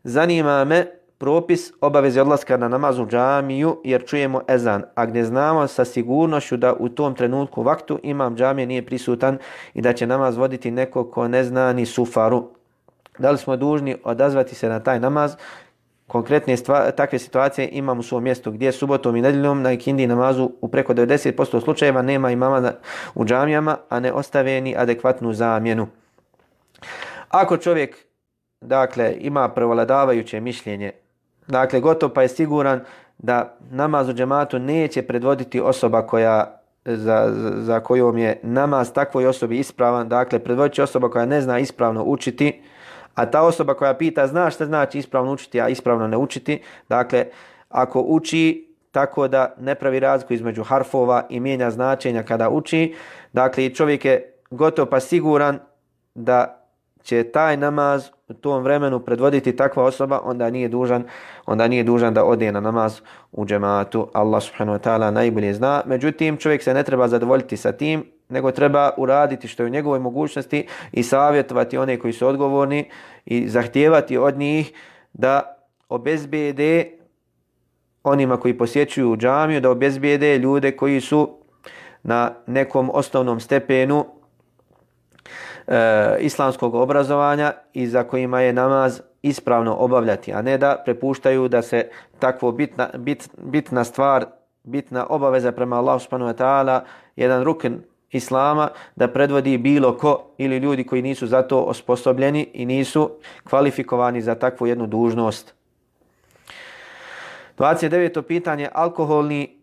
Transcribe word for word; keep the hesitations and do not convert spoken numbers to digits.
zanima me propis obaveze odlaska na namaz u džamiju jer čujemo ezan, a gdje znamo sa sigurnošću da u tom trenutku vaktu imam džamije nije prisutan i da će namaz voditi neko ko ne zna ni sufaru. Da li smo dužni odazvati se na taj namaz? Konkretne stva, takve situacije imam u svom mjestu gdje subotom i nedjeljom na ikindi namazu u preko devedeset posto slučajeva nema imama u džamijama, a ne ostave ni adekvatnu zamjenu. Ako čovjek dakle ima prevladavajuće mišljenje, dakle gotov pa je siguran da namaz u džematu neće predvoditi osoba koja za, za kojom je namaz takvoj osobi ispravan, dakle predvodit će osoba koja ne zna ispravno učiti, a ta osoba koja pita zna šta znači ispravno učiti, a ispravno ne učiti, dakle ako uči tako da ne pravi razliku između harfova i mijenja značenja kada uči, dakle čovjek je gotov pa siguran da će taj namaz u tom vremenu predvoditi takva osoba, onda nije dužan, onda nije dužan da ode na namaz u džematu. Allah subhanahu wa ta'ala najbolje zna. Međutim, čovjek se ne treba zadovoljiti sa tim, nego treba uraditi što je u njegovoj mogućnosti i savjetovati one koji su odgovorni i zahtijevati od njih da obezbijede onima koji posjećuju džamiju, da obezbijede ljude koji su na nekom osnovnom stepenu E, islamskog obrazovanja i za kojima je namaz ispravno obavljati, a ne da prepuštaju da se takvo bitna, bit, bitna stvar, bitna obaveza prema Allahu subhanahu wa ta'ala, jedan rukn islama, da predvodi bilo ko ili ljudi koji nisu za to osposobljeni i nisu kvalifikovani za takvu jednu dužnost. dvadeset deveto pitanje. Alkoholni